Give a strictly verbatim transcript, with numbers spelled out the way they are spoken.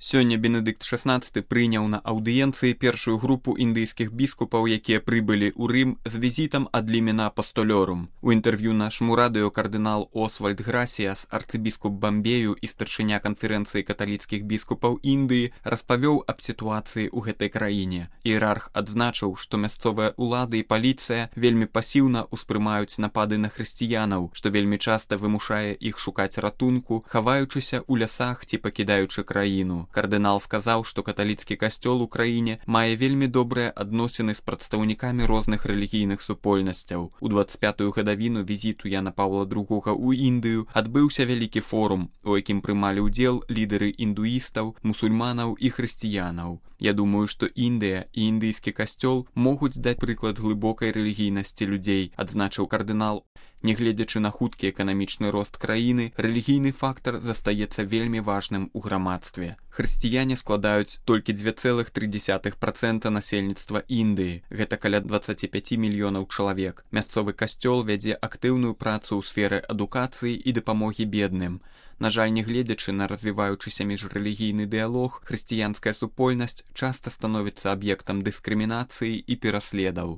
Сёння Бенедыкт шаснаццаты прыняў на аўдыенцыі першую групу індыйскіх біскупаў, якія прыбылі ў Рым з візітам ад лімена апостолёрум. У інтэрв'ю нашаму радыё кардынал Освальд Грасіяс, арцыбіскуп Бамбею і старшыня канферэнцыі каталіцкіх біскупаў Індыі, распавёў аб сітуацыі ў гэтай краіне. Іерарх адзначыў, што мясцовыя ўлады і паліцыя вельмі пасіўна ўспрымаюць напады на хрысціянаў, што вельмі часта вымушае іх шукаць ратунку, хаваючыся ў лясах ці пакідаючы краіну. Кардынал сказаў, што каталіцкі касцёл у краіне мае вельмі добрыя адносіны з прадстаўнікамі розных рэлігійных супольнасцяў. У дваццаць пятую гадавіну візіту Яна Паўла другога ў Індыю адбыўся вялікі форум, у якім прымалі ўдзел лідары індуістаў, мусульманаў і хрысціянаў. Я думаю, што Індыя і індыйскі касцёл могуць даць прыклад глыбокай рэлігійнасці людзей, адзначыў кардынал. Нягледзячы на хуткі эканамічны рост краіны, рэлігійны фактар застаецца вельмі важным у грамадстве. Хрысціяне складаюць толькі дзве цэлых тры дзесятых працэнта насельніцтва Індыі, гэта каля дваццаць пяць мільёнаў чалавек. Мясцовы касцёл вядзе актыўную працу ў сферы адукацыі і дапамогі бедным. На жаль, нягледзячы на развіваючыся міжрэлігійны дыялог, хрысціянская супольнасць часта становіцца аб'ектам дыскрымінацыі і пераследаў.